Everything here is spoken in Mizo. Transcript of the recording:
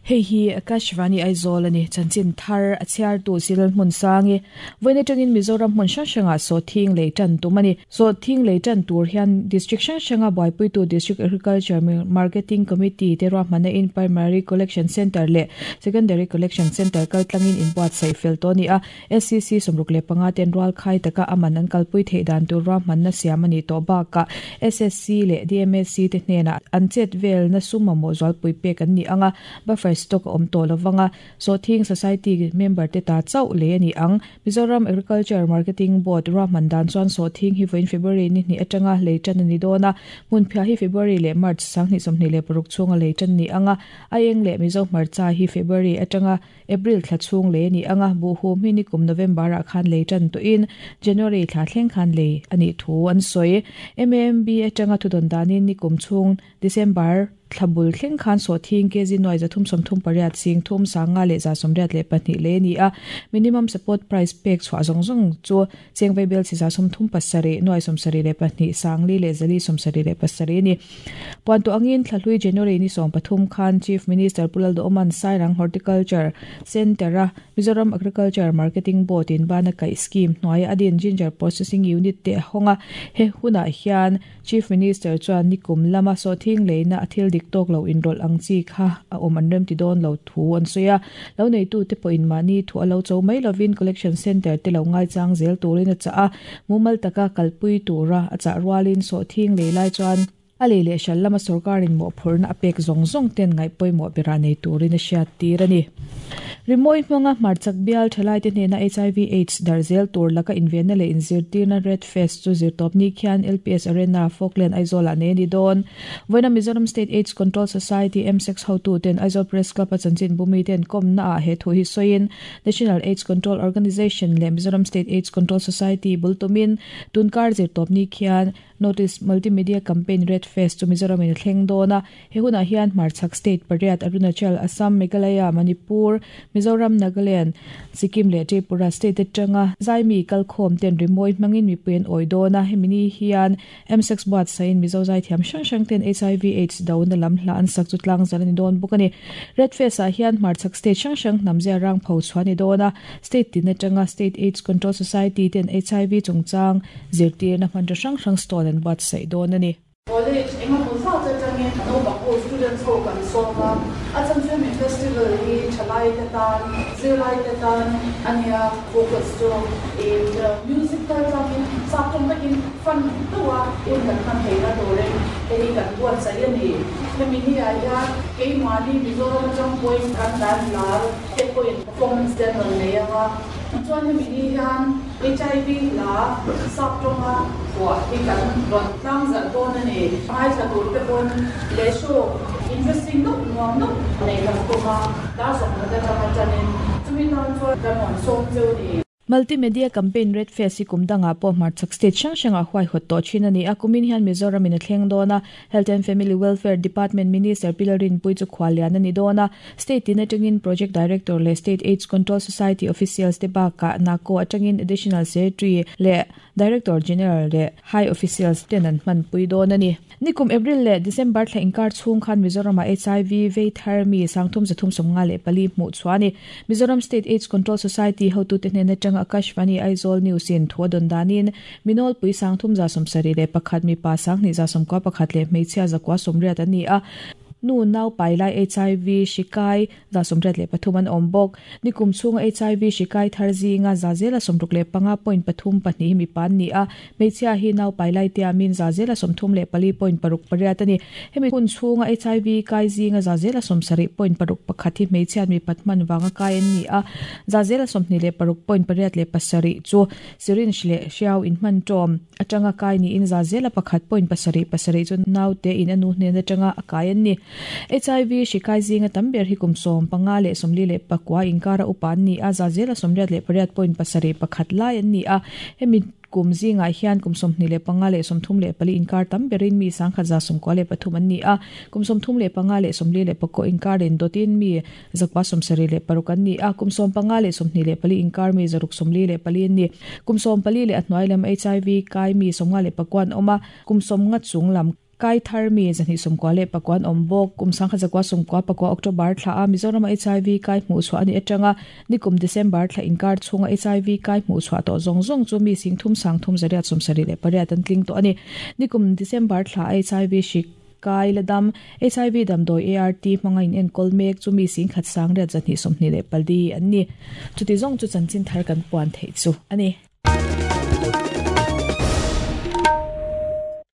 Hei hi Akashvani Aizawl a ni. Chanchin thar a chhiartu Cyril Hmunsangi. Vawiin atangin Mizoram hmun hrang hrangah sawhthing lei tan tum a ni. Sawhthing lei tan tur hian District hrang hranga buaipuitu District Agriculture Marketing Committee te ruahmanna in Primary Collection Centre leh Secondary Collection Centre kaltlangin inbuatsaih fel tawh a ni a. SCC 65 ten rualkhai taka a man an kalpui theih dan tur ruahmanna siam a nih tawh bakah SSC leh DMSC te hnenah an chet velna sum mamawh zualpui pek an ni ang a, buffer stock a awm tawh lovang a, Sawhthing Society member te ta chauh lei a ni ang. Mizoram Agriculture Marketing Board ruahman dan chuan sawhthing hi vawiin February ni hnih atanga lei tan a ni dawn a, hmunphiah hi February leh March 2026 chhunga lei tan a ni ang a, Aieng leh Mizo hmarcha hi February atanga April thla chhung lei a ni ang a, buhhum hi nikum November-ah khan lei tan tawhin January thla thleng khan lei a nih thu an sawi. MAMB atanga thudawn danin nikum chhung December thla bul thleng khan sawhthing kg nuai 338 sing thum sanga leh 182 lei a ni a, minimum support price pek chhuah zawng zawng chu Cheng Vaibel chi 37 nuai 72 sangli leh 477 a ni. Puan tawh angin Thlahlui January ni 13 khan Chief Minister Pu Lalduhawma'n Sairang Horticulture Centre-a Mizoram Agriculture Marketing Board in bana kaih scheme hnuaia a din Ginger Processing Unit te a hawng a. He hunah hian Chief Minister chuan nikum lama sawhthing leina a thil dik tawk lo inrawlh ang chi kha a awm an remti dawn lo thu an sawi a. Lo neitute pawhin mahni thu a lo cho mai lovin Collection Centre te lo ngaichang zel turin a chah a, mumal taka kalpui tura a chah rualin sawhthing lei lai chuan a lei leh hral lama sawrkarin mawhphurhna a pek zawng zawng ten ngaih pawimawh berah nei turin a hriattir a ni. Rimawi hmanga hmarchak bial thalaite hnena hiv aids darh zel tur laka invenna leh inzirtirna Red Fest chu zirtawpni khian LPS Arena, Falkland, Aizawl-ah nei a ni dawn. Vawiina Mizoram State Aids Control Society, MSACS, hotuten Aizawl Press Club-a chanchinbumi ten kawmnaah he thu hi sawiin National Aids Control Organisation leh Mizoram State Aids Control Society bul tumin tunkar zirtawpni khian Notice, Multimedia Campaign Red Fest chu Mizoram in a thleng dawn a, he hunah hian hmarchhak state pariat Arunachal, Assam, Meghalaya, Manipur, Mizoram, Nagaland, Sikkim leh Tripura state atanga zaimi kalkhawm ten rimawi hmangin mipui an awi dawn a, hemi ni hian MSEX buatsain Mizo zaithiam hrang hrang ten hiv aids dona lam hla an sak chu tlangzal a ni dawn bawk a ni. Red Fest ah hian hmarchhak state hrang hrang hnamzia rang pho chhuah a ni dawn a, state tin atanga State Aids Control Society ten hiv chungchang Zirtirna hmanraw hrang hrang stall an buatsaih dawn a ni. College engemaw zat atangin naupang ho students ho kan sawm a, a chhan chu hemi festival hi thalai te tan, zirlai te tan a nia, focus chu ih music kal tlangin chak tawng takin fun deuh a hun kan hman theihna turin hei hi kan buatsaih a ni. Hemi ni ah hian keimahni Mizoram atang pawhin kan band lar te pawhin performance te an rawn nei ang a, chuan hemi ni hian HIV hla sap tawnga phuah hi kan rawn tlang zalh dawn a ni. Ngaithla tur te pawn leh show interesting deuh nuam deuh nei kan tum a, dar sawmkhat atanga tanin chumi tan chuan kan rawn sawm cheu a ni. Multimedia Campaign Red Fest hi kum dangah pawh hmarchhak state hrang hrangah huaihawt tawh thin a ni a, kumin hian Mizoram in a thleng dawn a, Health and Family Welfare Department Minister Pi Lalrinpuii chu khuallian a ni dawn a, state tin atangin Project Director leh State Aids Control Society officials te bakah NACO atangin Additional Secretary leh Director General leh High Officials ten an hmanpui dawn a ni. Nikum April leh December thla inkar chhung khan Mizoramah hiv vei thar mi 3354 hmuh chhuah a ni. Mizoram State Aids Control Society hotute hnen atanga Akashvani Aizawl News in thu a dawn danin mi nawlpui 3171 mipa 2191 leh hmeichhia 980 an ni a, nu nau pai lai hiv hri kai 83 an awm bawk. Nikum chhunga hiv hri kai thar zinga 65 point pathum pahnih hi mipa an ni a, hmeichhia hi nau pai lai tiamin 34 point paruk pariat a ni. Hemi hun chhunga hiv kai zinga 70 point paruk pakhat hi hmeichhiat mipat hman vanga kai an ni a, 26 point pariat leh pasarih chu syringe leh hriau inhman tawm atanga kai niin 1% point pasarih pasarih chu naute in a nu hnen atanga a kai an ni. Hiv hri kai zinga tam ber hi kum 15 leh 44 inkara upa an ni a, 88% point pasarih pakhat lai an ni a. Hemi kum zingah hian kum 25 leh 34 inkar tam berin mi 1,093 an ni a, kum 35 leh 44 inkarin dawtin mi 976 an ni a, kum 15 leh 24 inkar mi 644 an ni. Kum 14 leh a hnuai lam hiv kai mi 59 an awm a, kum 50 chung lam. Kai thar mi 229 an awm bawk. Kum 1994 October thla a Mizoram a HIV kai hmuh chhuah a nih atanga nikum December thla inkar chhunga HIV kai hmuh chhuah tawh zawng zawng chu mi 3378 an tling tawh a ni. Nikum December thla a HIV hrik kai la dam HIV damdawi ART hmanga in enkawl mek chu mi 10,824 an ni. Chuti zawng chu chanchin thar kan puan theih chu a ni.